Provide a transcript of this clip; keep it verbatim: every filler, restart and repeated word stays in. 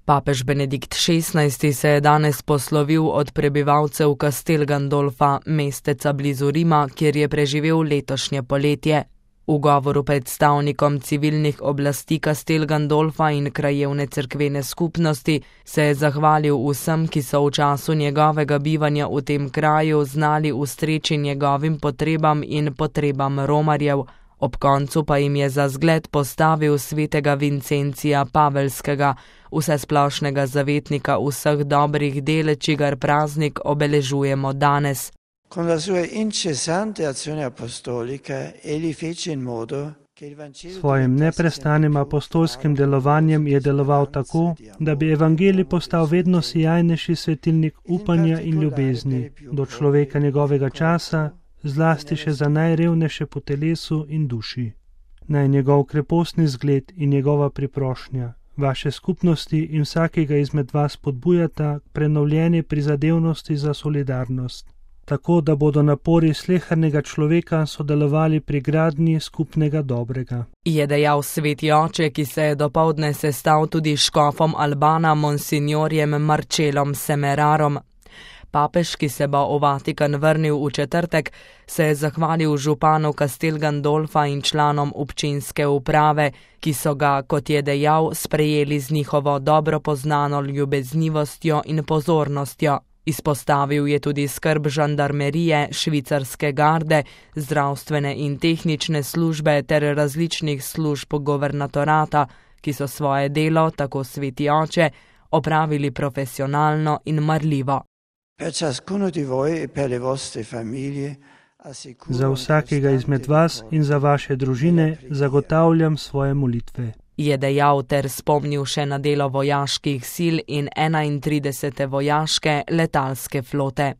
Papež Benedikt šestnajsti se je danes poslovil od prebivalcev Castel Gandolfa, mesteca blizu Rima, kjer je preživel letošnje poletje. V govoru predstavnikom civilnih oblasti Castel Gandolfa in krajevne cerkvene skupnosti se je zahvalil vsem, ki so v času njegovega bivanja v tem kraju znali ustreči njegovim potrebam in potrebam romarjev. Ob koncu pa jim je za zgled postavil svetega Vincencija Pavelskega, vsesplošnega zavetnika vseh dobrih del, čigar praznik obeležujemo danes. Con la sua incessante azione apostolica egli fece in modo che il Vangelo Svojim neprestanim apostolskim delovanjem je deloval tako, da bi evangelij postal vedno sijajnejši svetilnik upanja in ljubezni do človeka njegovega časa, zlasti še za najrevnejše po telesu in duši. Naj njegov krepostni zgled in njegova priprošnja vaše skupnosti in vsakega izmed vas podbujata k prenovljeni prizadevnosti za solidarnost, tako da bodo napori slehernega človeka sodelovali pri gradnji skupnega dobrega. Je dejal sveti oče, ki se je dopoldne sestal tudi s škofom Albana monsignorjem Marcelom Semerarom. Papež, ki se bo v Vatikan vrnil v četrtek, se je zahvalil županu Castel Gandolfa in članom občinske uprave, ki so ga, kot je dejal, sprejeli z njihovo dobro poznano ljubeznivostjo in pozornostjo. Izpostavil je tudi skrb žandarmerije, švicarske garde, zdravstvene in tehnične službe ter različnih služb guvernatorata, ki so svoje delo, tako sveti oče, opravili profesionalno in marljivo. Za vsakega izmed vas in za vaše družine zagotavljam svoje molitve. Je dejal ter spomnil še na delo vojaških sil in enaintridesete vojaške letalske flote.